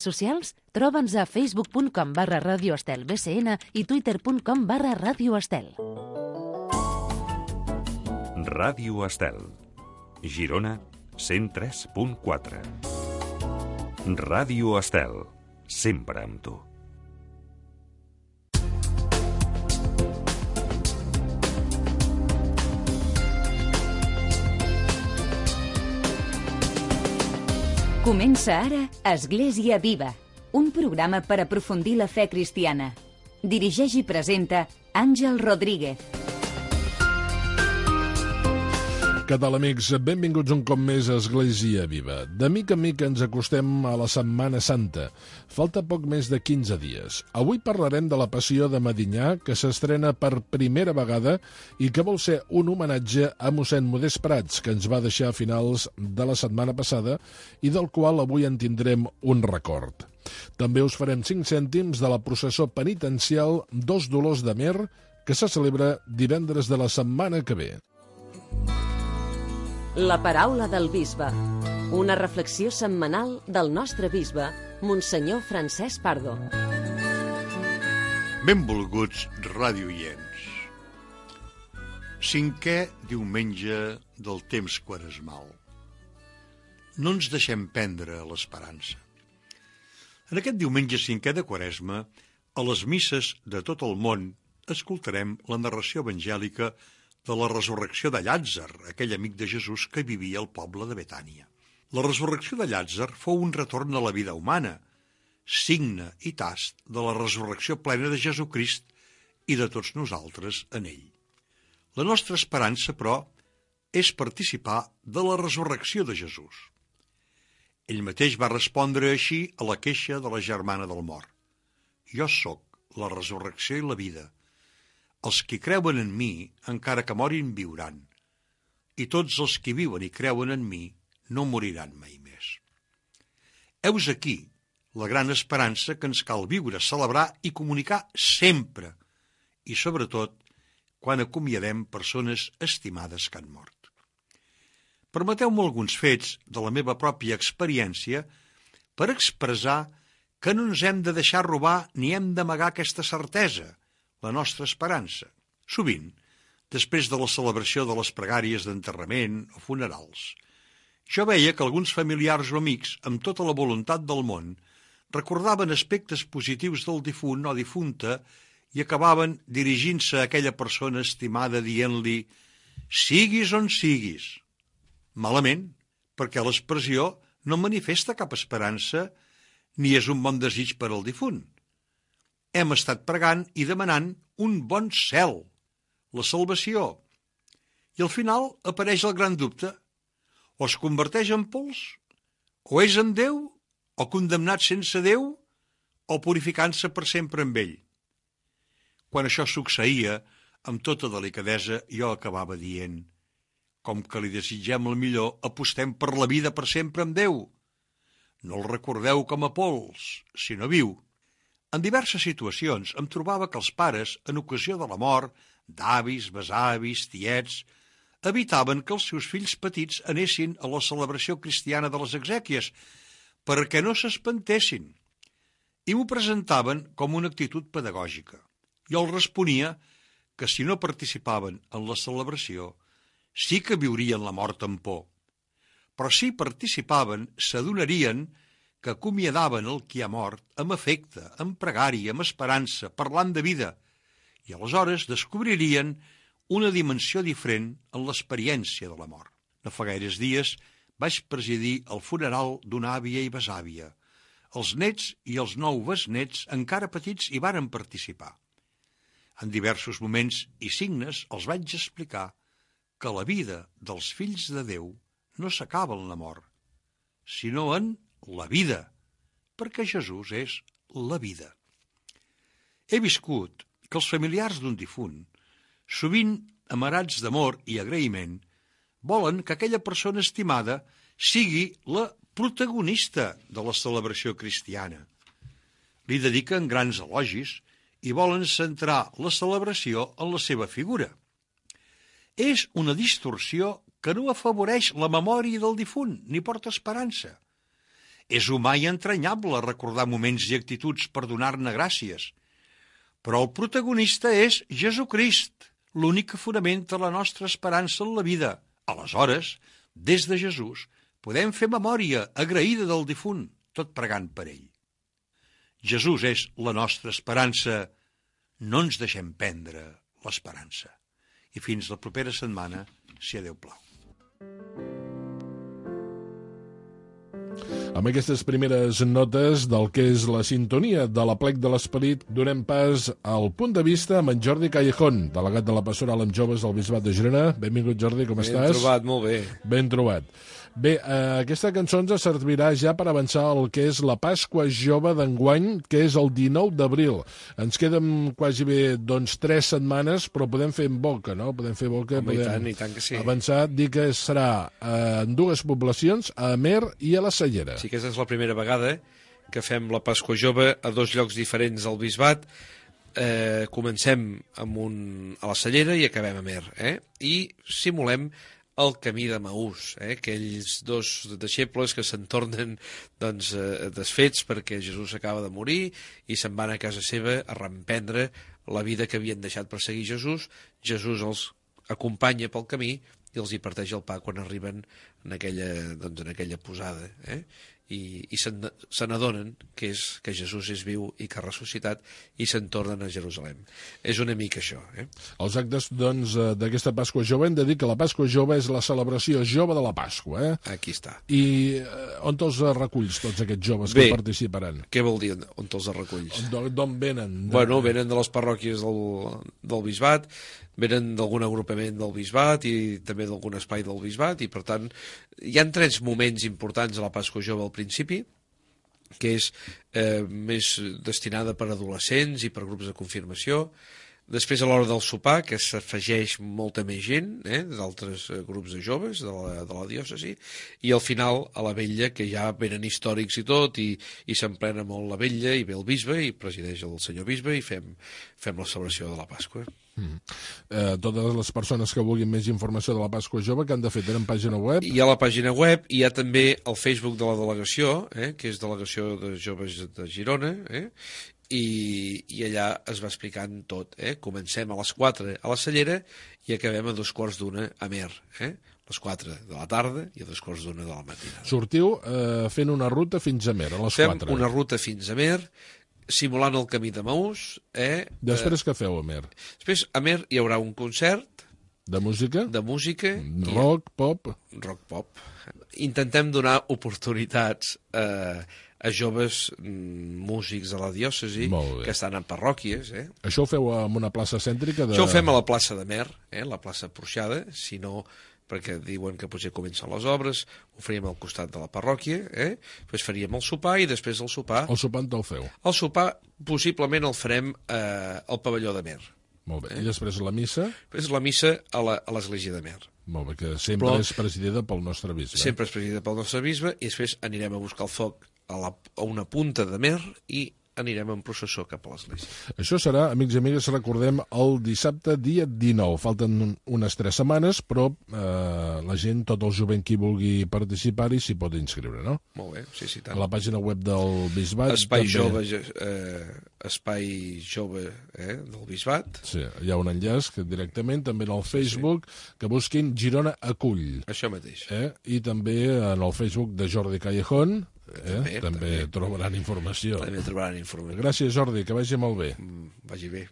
socials, troba'ns a facebook.com/radioestelbcn i twitter.com/radioestel. Ràdio Estel, Girona 103.4. Ràdio Estel, sempre amb tu. Comença ara Església Viva, un programa per aprofundir la fe cristiana. Dirigeix i presenta Àngel Rodríguez. Què tal, amics? Benvinguts un cop més a Església Viva. De mica en mica ens acostem a la Setmana Santa. Falta poc més de 15 dies. Avui parlarem de la Passió de Medinyà, que s'estrena per primera vegada i que vol ser un homenatge a mossèn Modest Prats, que ens va deixar a finals de la setmana passada i del qual avui en tindrem un record. També us farem 5 cèntims de la processó penitencial Dos Dolors de Mer, que se celebra divendres de la setmana que ve. La paraula del bisbe. Una reflexió setmanal del nostre bisbe, Monsenyor Francesc Pardo. Benvolguts radioients. 5è diumenge del temps quaresmal. No ens deixem prendre l'esperança. En aquest diumenge 5è de Quaresma, a les misses de tot el món, escoltarem la narració evangèlica de la resurrecció de Llàtzer, aquell amic de Jesús que vivia al poble de Betània. La resurrecció de Llàtzer fou un retorn a la vida humana, signe i tast de la resurrecció plena de Jesucrist i de tots nosaltres en ell. La nostra esperança, però, és participar de la resurrecció de Jesús. Ell mateix va respondre així a la queixa de la germana del mort. Jo sóc la resurrecció i la vida. Els qui creuen en mi, encara que morin, viuran. I tots els qui viuen i creuen en mi no moriran mai més. Heus aquí la gran esperança que ens cal viure, celebrar i comunicar sempre, i sobretot quan acomiadem persones estimades que han mort. Permeteu-me alguns fets de la meva pròpia experiència per expressar que no ens hem de deixar robar ni hem d'amagar aquesta certesa, la nostra esperança. Sovint, després de la celebració de les pregàries d'enterrament o funerals, jo veia que alguns familiars o amics, amb tota la voluntat del món, recordaven aspectes positius del difunt o difunta i acabaven dirigint-se a aquella persona estimada dient-li «siguis on siguis». Malament, perquè l'expressió no manifesta cap esperança ni és un bon desig per al difunt. Hem estat pregant i demanant un bon cel, la salvació. I al final apareix el gran dubte. O es converteix en pols, o és amb Déu, o condemnat sense Déu, o purificant-se per sempre amb ell. Quan això succeïa, amb tota delicadesa, jo acabava dient com que li desitgem el millor, apostem per la vida per sempre amb Déu. No el recordeu com a pols, sinó viu. En diverses situacions em trobava que els pares, en ocasió de la mort, d'avis, besavis, tiets, evitaven que els seus fills petits anessin a la celebració cristiana de les exèquies, perquè no s'espantessin, i m'ho presentaven com una actitud pedagògica. Jo els responia que si no participaven en la celebració, sí que viurien la mort amb por, però si participaven, s'adonarien que acomiadaven el qui ha mort amb afecte, amb pregària, amb esperança, parlant de vida, i aleshores descobririen una dimensió diferent en l'experiència de la mort. No fa gaires dies vaig presidir el funeral d'una àvia i besàvia. Els nets i els 9 besnets, encara petits, hi varen participar. En diversos moments i signes els vaig explicar que la vida dels fills de Déu no s'acaba en la mort, sinó en la vida, perquè Jesús és la vida. He viscut que els familiars d'un difunt, sovint amarats d'amor i agraïment, volen que aquella persona estimada sigui la protagonista de la celebració cristiana. Li dediquen grans elogis i volen centrar la celebració en la seva figura. És una distorsió que no afavoreix la memòria del difunt ni porta esperança. És humà i entranyable recordar moments i actituds per donar-ne gràcies. Però el protagonista és Jesucrist, l'únic que fonamenta la nostra esperança en la vida. Aleshores, des de Jesús, podem fer memòria agraïda del difunt, tot pregant per ell. Jesús és la nostra esperança. No ens deixem prendre l'esperança. I fins la propera setmana, si a Déu plau. Amb aquestes primeres notes del que és la sintonia de l'Aplec de l'Esperit, donem pas al punt de vista amb en Jordi Callejón, delegat de la Pastoral amb Joves del Bisbat de Girona. Benvingut, Jordi, com estàs? Ben trobat, molt bé. Ben trobat. Bé, aquesta cançó ens servirà ja per avançar el que és la Pasqua Jove d'enguany, que és el 19 d'abril. Ens queden quasi bé, 3 setmanes, però podem fer en boca, no? Podem fer boca, Home, podem i tant que sí. avançar, dir que serà en 2 poblacions, a Amer i a la Cellera. Sí, aquesta és la primera vegada que fem la Pasqua Jove a 2 llocs diferents del Bisbat. Comencem a la Cellera i acabem a Amer. I simulem el camí de Maús, aquells 2 deixebles que se'n tornen desfets perquè Jesús acaba de morir i se'n van a casa seva a reemprendre la vida que havien deixat per seguir Jesús. Jesús els acompanya pel camí i els hi parteix el pa quan arriben en aquella posada. I se n'adonen que Jesús és viu i que ha ressuscitat i se'n tornen a Jerusalem. És una mica això. Els actes, d'aquesta Pasqua Jove, hem de dir que la Pasqua Jove és la celebració jove de la Pasqua. Aquí està. I on te'ls reculls, tots aquests joves que participaran? Què vol dir on te'ls reculls? D'on venen? Bueno, venen de les parròquies del Bisbat, venen d'algun agrupament del Bisbat i també d'algun espai del Bisbat, i per tant hi ha 3 moments importants a la Pasqua Jove al principi, que és més destinada per adolescents i per grups de confirmació. Després, a l'hora del sopar, que s'afegeix molta més gent, d'altres grups de joves de la diòcesi, i al final, a la vetlla, que ja venen històrics i tot, i s'emplena molt la vetlla, i ve el bisbe, i presideix el senyor bisbe, i fem la celebració de la Pasqua. Totes les persones que vulguin més informació de la Pasqua Jove, que han de fer? Tenen pàgina web? Hi ha la pàgina web, hi ha també el Facebook de la delegació, que és Delegació de Joves de Girona, i allà es va explicant tot. Comencem a les 4 a la Cellera i acabem a 2:15 a Amer. Les 4 de la tarda i a 2:15 de la matinada. Sortiu fent una ruta fins a Amer, a les 4. Fem una ruta fins a Amer, simulant el camí de Maús. Després què feu a Amer? Després a Amer hi haurà un concert. De música? De música. Rock, pop? Rock, pop. Intentem donar oportunitats a joves músics de la diòcesi que estan en parròquies. Això ho feu en una plaça cèntrica? Això ho fem a la plaça d'Amer, la plaça Porxada, si no, perquè diuen que potser comencen les obres, ho faríem al costat de la parròquia, després faríem el sopar i després el sopar... El sopar on te'l feu? El sopar possiblement el farem al pavelló d'Amer. Molt bé. I després la missa? Després la missa a l'església d'Amer. Molt bé, que sempre és presidida pel nostre bisbe. Sempre és presidida pel nostre bisbe, i després anirem a buscar el foc a una punta d'Amer i anirem en processó cap a l'església. Això serà, amics i amigues, recordem, el dissabte dia 19. Falten unes 3 setmanes, però la gent, tot el jovent qui vulgui participar-hi s'hi pot inscriure, no? Molt bé, sí, tant. A la pàgina web del Bisbat. Espai Jove del Bisbat. Sí, hi ha un enllaç que directament, també en el Facebook, que busquin Girona Acull. Això mateix. I també en el Facebook de Jordi Callejón, també trobaran informació. També trobaran informació. Gràcies, Jordi, que vagi molt bé. Vagi bé.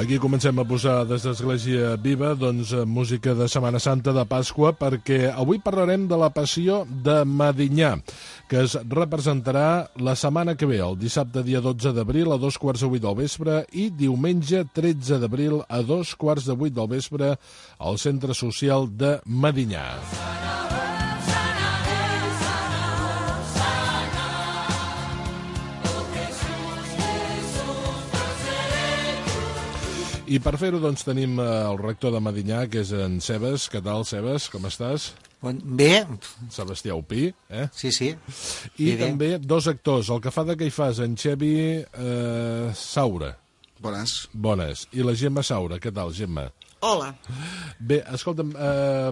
Aquí comencem a posar des d'Església Viva música de Setmana Santa de Pasqua, perquè avui parlarem de la Passió de Medinyà, que es representarà la setmana que ve, el dissabte dia 12 d'abril a 2:15 del vespre i diumenge 13 d'abril a 2:15 del vespre al Centre Social de Medinyà. I per fer-ho tenim el rector de Medinyà, que és en Sebes. Què tal, Sebes? Com estàs? Bé. Sebastià Upí, Sí. I també dos actors, el que fa de Caifàs, en Xevi Saura. Bones. I la Gemma Saura, què tal, Gemma? Hola. Bé, escolta'm,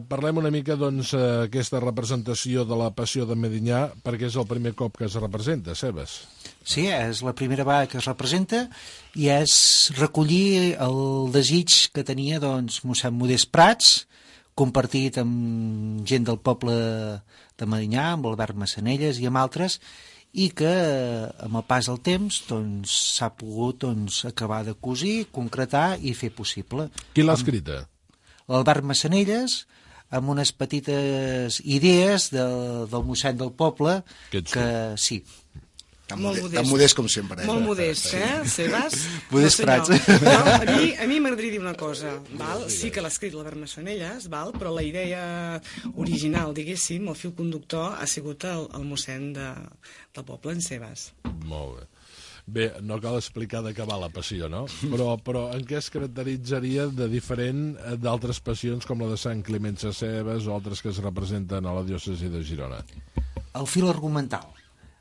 parlem una mica, doncs, aquesta representació de la Passió de Medinyà, perquè és el primer cop que es representa, Sebas. Sí, és la primera vegada que es representa i és recollir el desig que tenia, doncs, mossèn Modest Prats, compartit amb gent del poble de Medinyà, amb Albert Massanelles i amb altres, i que amb el pas del temps doncs, s'ha pogut acabar de cosir, concretar i fer possible. Qui l'ha escrita? L'Albert Massanelles, amb unes petites idees del mossèn del poble, que sí. Tan modest com sempre. Molt modest, Sebas? Modest Prats. No, a mi m'agradaria dir una cosa. Val? Sí que l'ha escrit l'Albert Massanelles, però la idea original, diguéssim, el fil conductor, ha sigut el mossèn del poble, en Sebas. Molt bé. Bé, no cal explicar de què va la passió, no? Però en què es caracteritzaria de diferent d'altres passions com la de Sant Climent Sescebes o altres que es representen a la diòcesi de Girona? El fil argumental.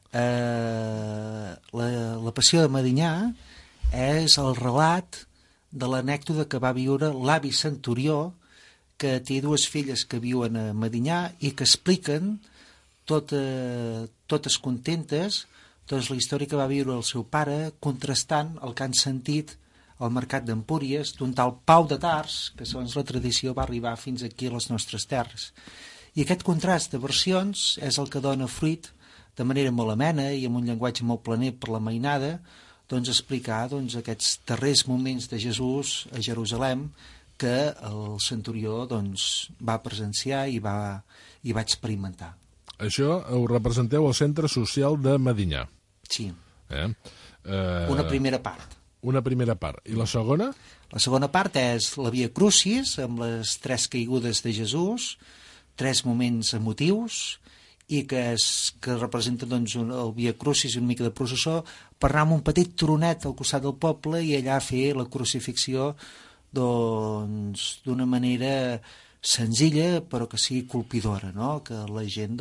La Passió de Medinyà és el relat de l'anècdota que va viure l'avi Centurió, que té dues filles que viuen a Medinyà i que expliquen totes contentes doncs, la història que va viure el seu pare, contrastant el que han sentit al mercat d'Empúries d'un tal Pau de Tars, que segons la tradició va arribar fins aquí a les nostres terres. I aquest contrast de versions és el que dona fruit de manera molt amena i amb un llenguatge molt planer per la mainada, doncs explicar aquests darrers moments de Jesús a Jerusalem que el centurió va presenciar i va experimentar. Això ho representeu al Centre Social de Medinyà. Sí. Una primera part. Una primera part. I la segona? La segona part és la Via Crucis, amb les 3 caigudes de Jesús, 3 moments emotius, i que representa el Via Crucis i una mica de processó, per anar amb un petit turonet al costat del poble i allà fer la crucifixió d'una manera senzilla però que sigui colpidora, no? Que la gent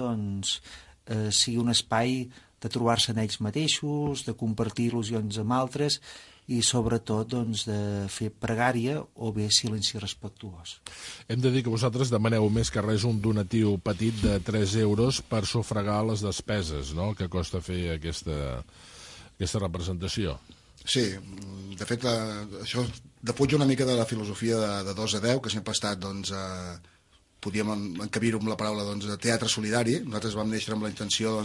sigui un espai de trobar-se en ells mateixos, de compartir il·lusions amb altres i sobretot de fer pregària o bé silenci respectuós. Hem de dir que vosaltres demaneu més que res un donatiu petit de 3 euros per sufragar les despeses, no?, que costa fer aquesta representació. Sí, de fet, això defuig una mica de la filosofia de 2 a 10, que sempre ha estat, podíem encabir-ho amb la paraula de teatre solidari. Nosaltres vam néixer amb la intenció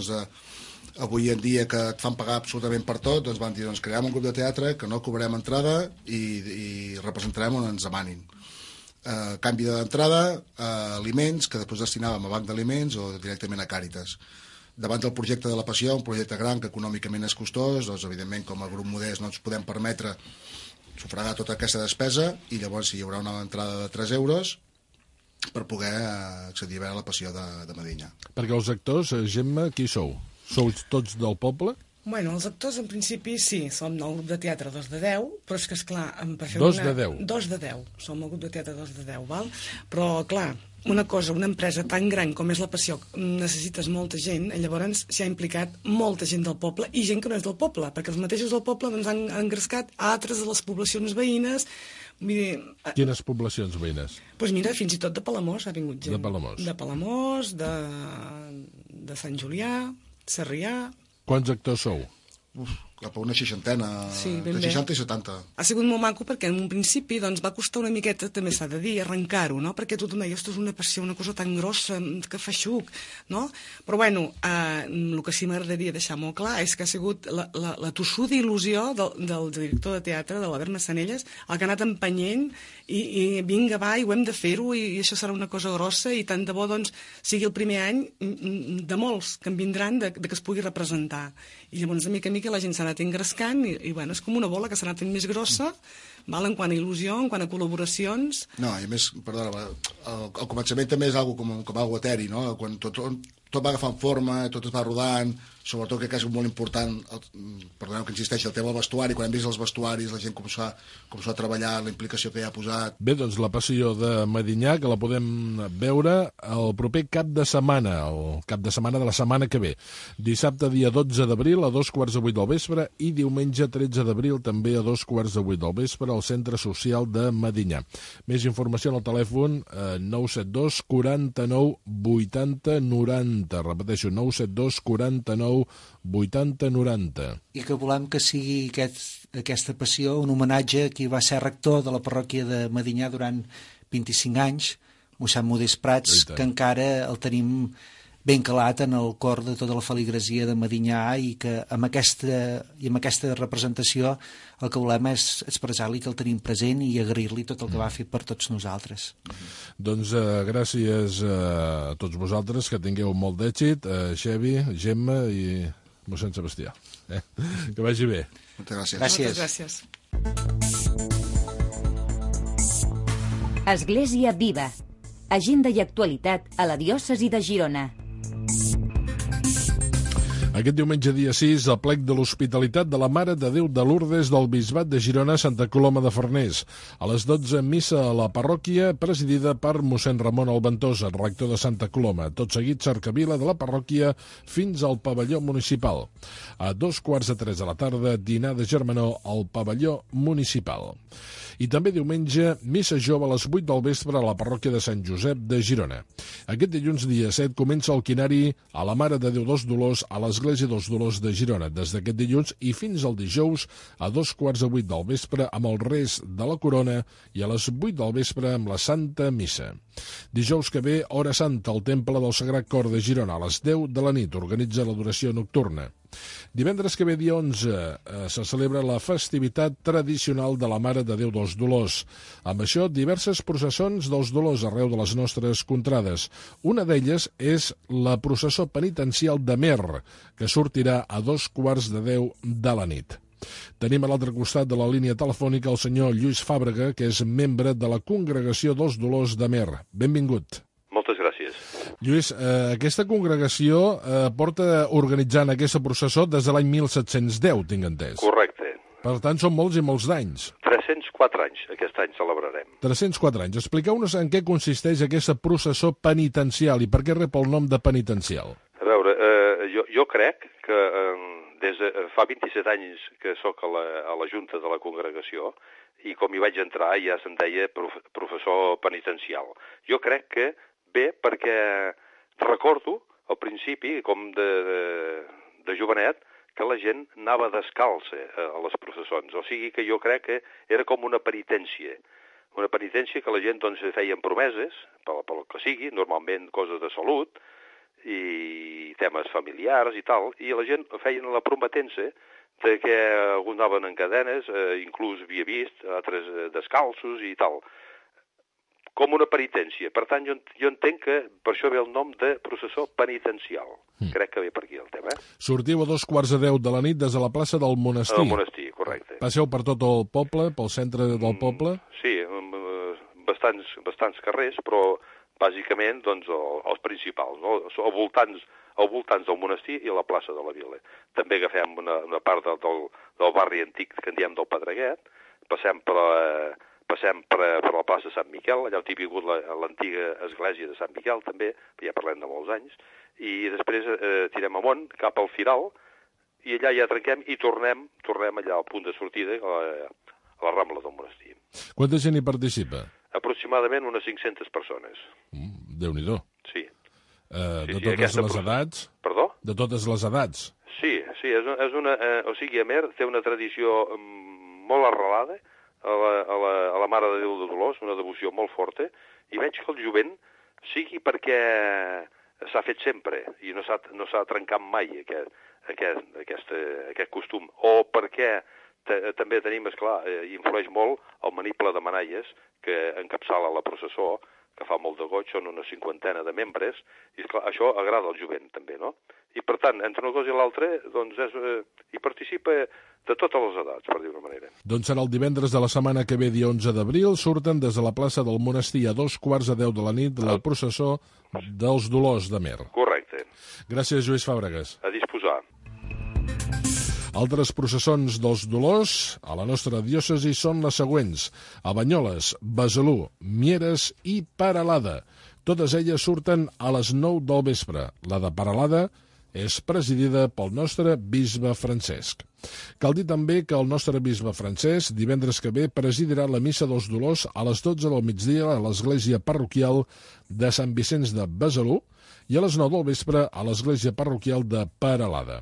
avui en dia que et fan pagar absolutament per tot, doncs van dir, creem un grup de teatre que no cobrarem entrada i representarem on ens demanin. Canvi d'entrada, aliments, que després destinàvem a banc d'aliments o directament a Càritas. Davant del projecte de la Passió, un projecte gran que econòmicament és costós, doncs evidentment com a grup modest no ens podem permetre sufragar tota aquesta despesa i llavors hi haurà una entrada de 3 euros per poder accedir a la Passió de Medinyà. Perquè els actors, Gemma, qui sou? Sou tots del poble? Bueno, els actors en principi sí, som el grup de teatre 2 de 10, però és que esclar... 2 de 10? 2 de 10, som el grup de teatre 2 de 10, val? Però clar, una empresa tan gran com és la Passió, necessites molta gent, i llavors s'hi ha implicat molta gent del poble i gent que no és del poble, perquè els mateixos del poble han engrescat altres de les poblacions veïnes. Quines poblacions veïnes? Doncs mira, fins i tot de Palamós ha vingut gent. De Palamós. De Palamós, de Sant Julià, Sarrià... Quants actors sou? Cap a una 60, sí, de 60 i 70. Ha sigut molt maco perquè en un principi va costar una miqueta, també s'ha de dir, arrencar-ho, no? Perquè tothom deia, ostres, una passió, una cosa tan grossa, que fa xuc, no? Però bueno, el que sí m'agradaria deixar molt clar és que ha sigut la tossuda il·lusió del director de teatre, de l'Albert Massanelles, el que ha anat empenyent i vinga, va, i ho hem de fer-ho i això serà una cosa grossa i tant de bo, sigui el primer any de molts que en vindran de que es pugui representar. I llavors, de mica en mica, la gent s'ha anat engrescant i bueno, és com una bola que s'ha anat fent més grossa, val, en quant a il·lusió, en quant a col·laboracions. No, i a més, perdona, el començament també és algo com algo eteri, no? Quan tot va agafant forma, tot es va rodant, sobretot crec que és molt important, perdoneu que insisteixi, el tema del vestuari. Quan hem vist els vestuaris, la gent com s'ha a treballar, la implicació que hi ha posat. Bé, doncs la passió de Medinyà, que la podem veure el proper cap de setmana, el cap de setmana de la setmana que ve. Dissabte, dia 12 d'abril, a 2:15 del vespre, i diumenge 13 d'abril, també a 2:15 del vespre, al Centre Social de Medinyà. Més informació al telèfon 972 49 80 90. Repeteixo, 972 49 80 90. I que volem que sigui aquesta passió un homenatge a qui va ser rector de la parròquia de Medinyà durant 25 anys, mossèn Modest Prats, que encara el tenim ben calat en el cor de tota la feligresia de Medinyà, i que amb aquesta representació el que volem és expressar-li que el tenim present i agrair-li tot el que va fer per tots nosaltres. Doncs gràcies a tots vosaltres, que tingueu molt d'èxit, Xevi, Gemma i mossèn Sebastià. Que vagi bé. Moltes gràcies. Moltes gràcies. Església Viva. Agenda i actualitat a la diòcesi de Girona. Aquest diumenge dia 6, el plec de l'Hospitalitat de la Mare de Déu de Lourdes del Bisbat de Girona, Santa Coloma de Farners. A les 12, missa a la parròquia, presidida per mossèn Ramon Alventosa, rector de Santa Coloma. Tot seguit, cercavila de la parròquia fins al pavelló municipal. A 2:15 de la tarda, dinar de germanor al pavelló municipal. I també diumenge, missa jove a les 8 del vespre a la parròquia de Sant Josep de Girona. Aquest dilluns, dia 7, comença el quinari a la Mare de Déu dels Dolors a l'Església dels Dolors de Girona, des d'aquest dilluns i fins al dijous a 2:15 del vespre amb el res de la corona i a les 8 del vespre amb la Santa Missa. Dijous que ve, hora santa al Temple del Sagrat Cor de Girona, a les 10 de la nit, organitza l'adoració nocturna. Divendres que ve, dia 11, se celebra la festivitat tradicional de la Mare de Déu dels Dolors. Amb això, diverses processons dels Dolors arreu de les nostres contrades. Una d'elles és la processó penitencial de Mer, que sortirà a 2:15 de la nit. Tenim a l'altre costat de la línia telefònica el senyor Lluís Fàbrega, que és membre de la Congregació dels Dolors de Mer. Benvingut. Moltes gràcies. Lluís, aquesta congregació porta organitzant aquesta processó des de l'any 1710, tinc entès. Correcte. Per tant, són molts i molts d'anys. 304 anys, aquest any celebrarem. 304 anys. Expliqueu-nos en què consisteix aquesta processó penitencial i per què rep el nom de penitencial. A veure, jo crec que des de fa 27 anys que sóc a la Junta de la Congregació i com hi vaig entrar ja se'n deia professor penitencial. Jo crec que bé perquè recordo al principi, com de jovenet, que la gent anava descalça a les processons. O sigui que jo crec que era com una penitència que la gent doncs feien promeses, pel que sigui, normalment coses de salut i temes familiars i tal, i la gent feien la prometença de que alguns anaven en cadenes, inclús havia vist altres descalços i tal, com una penitència. Per tant, jo entenc que per això ve el nom de processó penitencial. Crec que ve per aquí el tema. Sortiu a 2:15 de la nit des de la plaça del Monestir. Del Monestir, correcte. Passeu per tot el poble, pel centre del poble? Sí, bastants carrers, però bàsicament doncs, els principals, no? Al voltants del monestir i a la plaça de la Vila. També agafem una part del barri antic que en diem del Pedreguet, passem per la plaça de Sant Miquel, allà on hi ha vingut l'antiga església de Sant Miquel també, ja parlem de molts anys, i després tirem amunt cap al Firal i allà ja trenquem i tornem allà al punt de sortida a la Rambla del Monestir. Quanta gent hi participa? Aproximadament unes 500 persones. Déu-n'hi-do. Sí. De totes les edats? Perdó? De totes les edats? Sí, és una... O sigui, Amer té una tradició molt arrelada a la Mare de Déu de Dolors, una devoció molt forta, i veig que el jovent sigui perquè s'ha fet sempre i no s'ha trencat mai aquest costum, o perquè també tenim, esclar, influeix molt el maniple de manalles que encapçala la processó, que fa molt de goig, són una 50 de membres, i esclar, això agrada al jovent també, no? I per tant, entre una cosa i l'altra, doncs hi participa de totes les edats, per dir-ho d'una manera. Doncs serà el divendres de la setmana que ve, dia 11 d'abril, surten des de la plaça del Monestir a 2:15 de la nit la processó dels Dolors de Mer. Correcte. Gràcies, Lluís Fàbregas. A disposar. Altres processons dels dolors a la nostra diòcesi són les següents: a Banyoles, Besalú, Mieres i Peralada. Totes elles surten a les 9 del vespre. La de Peralada és presidida pel nostre bisbe Francesc. Cal dir també que el nostre bisbe Francesc divendres que ve presidirà la Missa dels Dolors a les 12 del migdia a l'església parroquial de Sant Vicenç de Besalú i a les 9 del vespre a l'església parroquial de Peralada.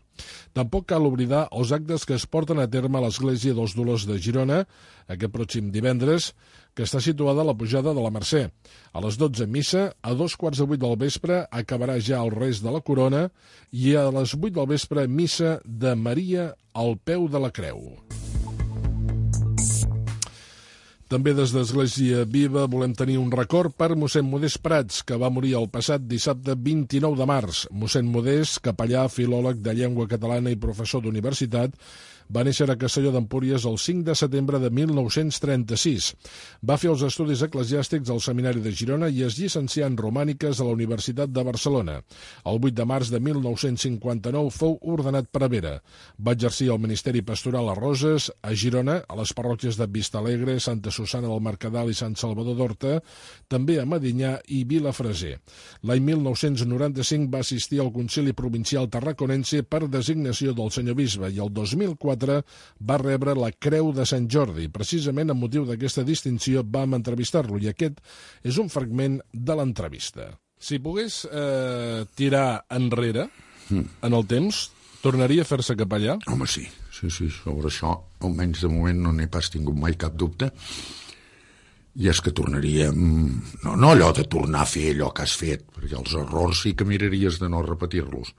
Tampoc cal oblidar els actes que es porten a terme a l'església dels Dolors de Girona aquest pròxim divendres, que està situada a la pujada de la Mercè. A les 12 missa, a 7:15 del vespre acabarà ja el rest de la corona i a les 8 del vespre missa de Maria al peu de la creu. També des d'Església Viva volem tenir un record per mossèn Modest Prats, que va morir el passat dissabte 29 de març. Mossèn Modest, capellà, filòleg de llengua catalana i professor d'universitat, va néixer a Castelló d'Empúries el 5 de setembre de 1936. Va fer els estudis eclesiàstics al Seminari de Girona i es llicencià en Romàniques a la Universitat de Barcelona. El 8 de març de 1959 fou ordenat prevere. Va exercir el ministeri pastoral a Roses, a Girona, a les parròquies de Vistalegre, Santa Susana del Mercadal i Sant Salvador d'Horta, també a Medinyà i Vilafreser. L'any 1995 va assistir al Concili Provincial Tarraconense per designació del senyor bisbe i el 2004 va rebre la Creu de Sant Jordi. Precisament amb motiu d'aquesta distinció vam entrevistar-lo i aquest és un fragment de l'entrevista. Si pogués tirar enrere en el temps, tornaria a fer-se capellà? Home, sí. Sobre això, almenys de moment no n'he pas tingut mai cap dubte. I és que tornaríem... No allò de tornar a fer allò que has fet, perquè els errors sí que miraries de no repetir-los,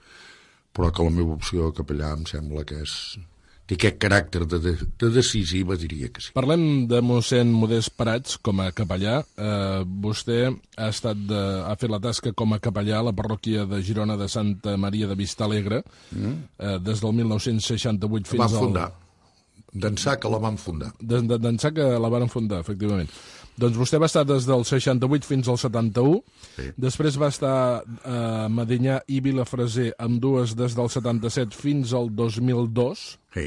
però que la meva opció de capellà em sembla que té aquest caràcter de decisiva, diria que sí. Parlem de mossèn Modest Prats com a capellà. Vostè ha fet la tasca com a capellà a la parròquia de Girona de Santa Maria de Vistalegre des del 1968 fins al... Van fundar. D'ençà que la van fundar. D'ençà que la van fundar, efectivament. Doncs vostè va estar des del 68 fins al 71, sí. Després va estar a Medinyà i Vilafreser, ambdues des del 77 fins al 2002, sí.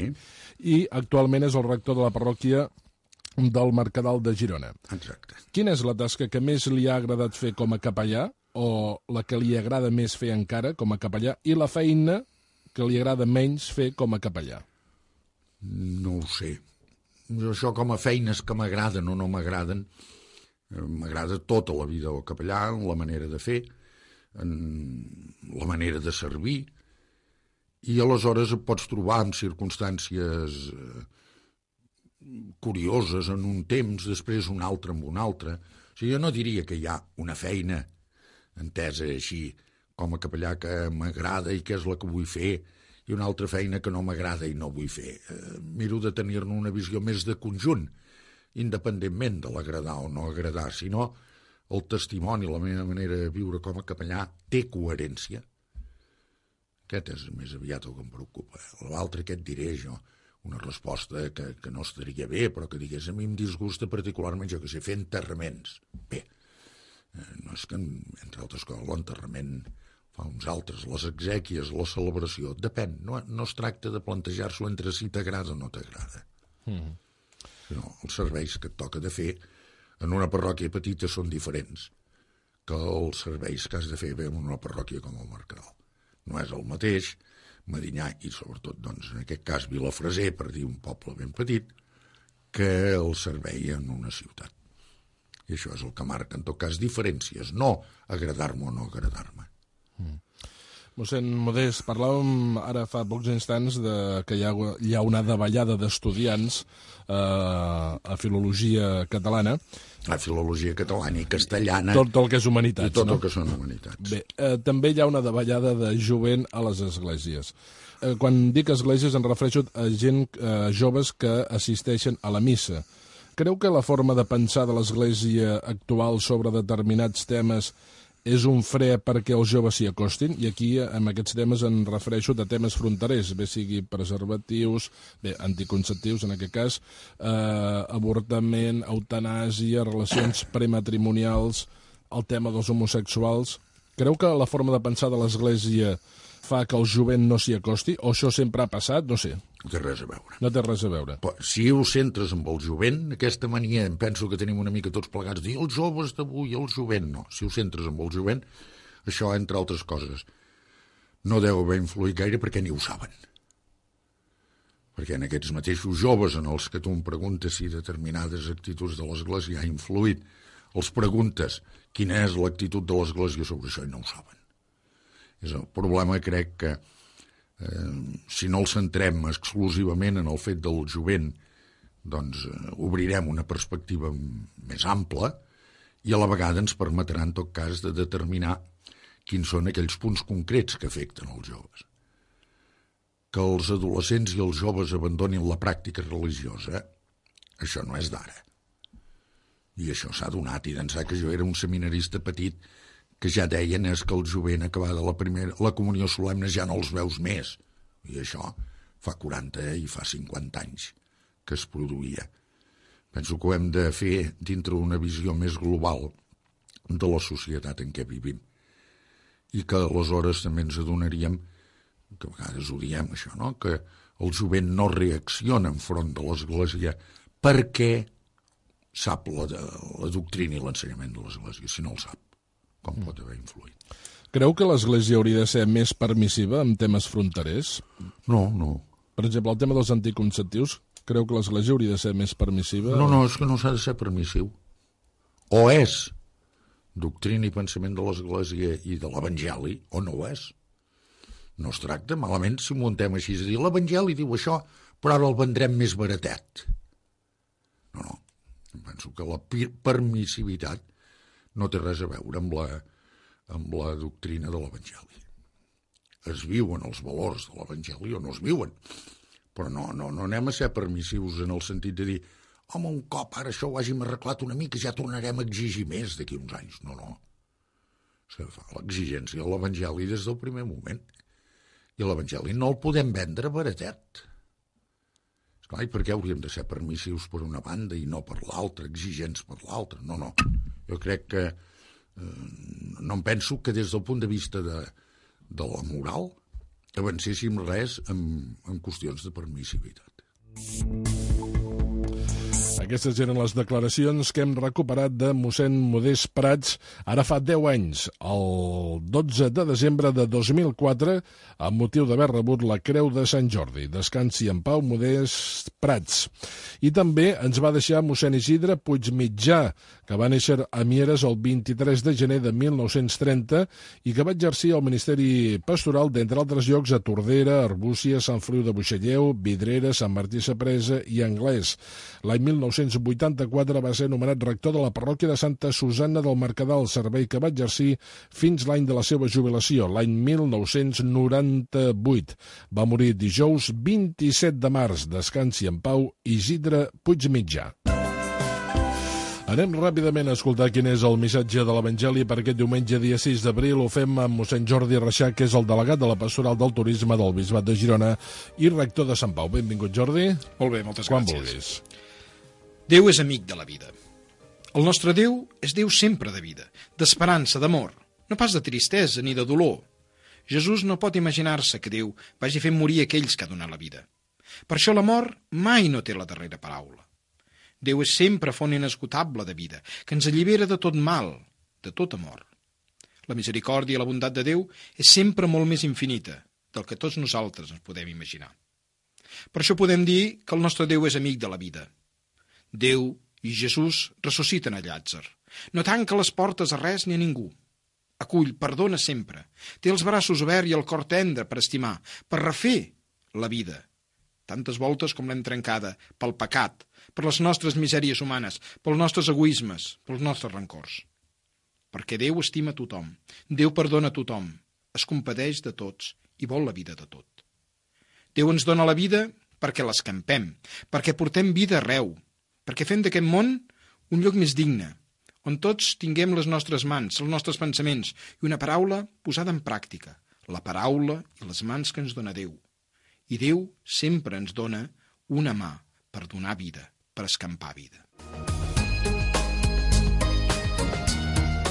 I actualment és el rector de la parròquia del Mercadal de Girona. Exacte. Quina és la tasca que més li ha agradat fer com a capellà, o la que li agrada més fer encara com a capellà, i la feina que li agrada menys fer com a capellà? No ho sé. Això com a feines que m'agraden o no m'agraden, m'agrada tota la vida del capellà, la manera de fer, la manera de servir, i aleshores et pots trobar en circumstàncies curioses en un temps, després un altre amb un altre. O sigui, jo no diria que hi ha una feina entesa així com a capellà que m'agrada i que és la que vull fer, i una altra feina que no m'agrada i no vull fer. Miro de tenir-ne una visió més de conjunt, independentment de l'agradar o no agradar, sinó el testimoni, la meva manera de viure com a capellà té coherència. Aquest és més aviat el que em preocupa. L'altre que et diré jo, una resposta que no estaria bé, però que digués, a mi em disgusta particularment, jo que sé, fer enterraments. Bé, no és que, entre altres coses, l'enterrament fa uns altres, les exèquies, la celebració, depèn, no es tracta de plantejar-s'ho entre si t'agrada o no t'agrada. No, els serveis que et toca de fer en una parròquia petita són diferents que els serveis que has de fer en una parròquia com el Mercadal. No és el mateix Medinyà i sobretot, doncs, en aquest cas Vilafreser, per dir un poble ben petit, que el servei en una ciutat. I això és el que marca, en tot cas, diferències, no agradar-me o no agradar-me. Mossèn Modest, parlàvem ara fa pocs instants que hi ha una davallada d'estudiants a filologia catalana. A filologia catalana i castellana. Tot el que és humanitats, i tot el que són humanitats. Bé, també hi ha una davallada de jovent a les esglésies. Quan dic esglésies em refereixo a gent, joves que assisteixen a la missa. Creu que la forma de pensar de l'església actual sobre determinats temes és un fre perquè els joves s'hi acostin? I aquí, amb aquests temes, em refereixo a temes fronterers, bé sigui preservatius, bé, anticonceptius, en aquest cas, avortament, eutanàsia, relacions prematrimonials, el tema dels homosexuals. Creu que la forma de pensar de l'Església fa que el jovent no s'hi acosti? O això sempre ha passat? No sé. No té res a veure. No té res a veure. Però, si ho centres amb el jovent, aquesta mania, em penso que tenim una mica tots plegats, dir els joves d'avui, el jovent, no. Si ho centres amb el jovent, això, entre altres coses, no deu haver influït gaire perquè ni ho saben. Perquè en aquests mateixos joves en els que tu em preguntes si determinades actituds de l'Església ha influït, els preguntes quina és l'actitud de l'Església sobre això i no ho saben. És el problema, crec que si no el centrem exclusivament en el fet del jovent, doncs obrirem una perspectiva més ampla i a la vegada ens permetrà en tot cas de determinar quins són aquells punts concrets que afecten els joves. Que els adolescents i els joves abandonin la pràctica religiosa, això no és d'ara. I això s'ha donat, i d'ençà que jo era un seminarista petit que ja deien és que el jovent acabada la comunió solemne ja no els veus més. I això fa 40 i fa 50 anys que es produïa. Penso que ho hem de fer dintre una visió més global de la societat en què vivim. I que aleshores també ens adonaríem, que a vegades ho diem això, no? Que el jovent no reacciona enfront de l'Església perquè sap la doctrina i l'ensenyament de l'Església, si no el sap, com pot haver influït. Creu que l'Església hauria de ser més permissiva en temes fronterers? No. Per exemple, el tema dels anticonceptius, creu que l'Església hauria de ser més permissiva? No, és que no s'ha de ser permissiu. O és doctrina i pensament de l'Església i de l'Evangeli, o no ho és. No es tracta malament si muntem així, és a dir, l'Evangeli diu això, però ara el vendrem més baratet. No. Penso que la permissivitat no té res a veure amb la doctrina de l'Evangeli. Es viuen els valors de l'Evangeli o no es viuen, però no anem a ser permissius en el sentit de dir home, un cop ara això ho hàgim arreglat una mica ja tornarem a exigir més d'aquí uns anys. No. Se fa l'exigència a l'Evangeli des del primer moment. I l'Evangeli no el podem vendre baratet. Esclar, i per què hauríem de ser permissius per una banda i no per l'altra, exigents per l'altra? No. Jo crec que no em penso que des del punt de vista de la moral avancéssim res en qüestions de permissivitat. Aquestes eren les declaracions que hem recuperat de mossèn Modest Prats ara fa 10 anys, el 12 de desembre de 2004, amb motiu d'haver rebut la Creu de Sant Jordi. Descansi en pau, Modest Prats. I també ens va deixar mossèn Isidre Puigmitjà, que va néixer a Mieres el 23 de gener de 1930 i que va exercir el Ministeri Pastoral, d'entre altres llocs, a Tordera, Arbúcies, Sant Feliu de Buixalleu, Vidrera, Sant Martí Sapresa i Anglès. L'any 1984 va ser nomenat rector de la parròquia de Santa Susanna del Mercadal, servei que va exercir fins l'any de la seva jubilació, l'any 1998. Va morir dijous 27 de març. Descansi en pau, Isidre Puigmitjà. Anem ràpidament a escoltar quin és el missatge de l'Evangeli per aquest diumenge, dia 6 d'abril. Ho fem amb mossèn Jordi Reixac, que és el delegat de la Pastoral del Turisme del Bisbat de Girona i rector de Sant Pau. Benvingut, Jordi. Molt bé, moltes Quan gràcies. vulguis. Déu és amic de la vida. El nostre Déu és Déu sempre de vida, d'esperança, d'amor, no pas de tristesa ni de dolor. Jesús no pot imaginar-se que Déu vagi fent morir aquells que ha donat la vida. Per això la mort mai no té la darrera paraula. Déu és sempre font inesgotable de vida, que ens allibera de tot mal, de tot amor. La misericòrdia i la bondat de Déu és sempre molt més infinita del que tots nosaltres ens podem imaginar. Per això podem dir que el nostre Déu és amic de la vida. Déu i Jesús ressusciten a Llàtzer. No tanca les portes a res ni a ningú. Acull, perdona sempre. Té els braços oberts i el cor tendre per estimar, per refer la vida. Tantes voltes com l'hem trencada, pel pecat, per les nostres misèries humanes, pels nostres egoismes, pels nostres rancors. Perquè Déu estima tothom, Déu perdona tothom, es compadeix de tots i vol la vida de tot. Déu ens dona la vida perquè l'escampem, perquè portem vida arreu, perquè fem d'aquest món un lloc més digne, on tots tinguem les nostres mans, els nostres pensaments i una paraula posada en pràctica, la paraula i les mans que ens dona Déu. I Déu sempre ens dona una mà per donar vida, per escampar vida.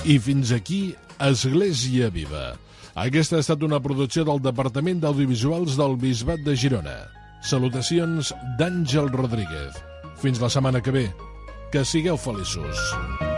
I fins aquí, Església Viva. Aquesta ha estat una producció del Departament d'Audiovisuals del Bisbat de Girona. Salutacions d'Àngel Rodríguez. Fins la setmana que ve. Que sigueu feliços.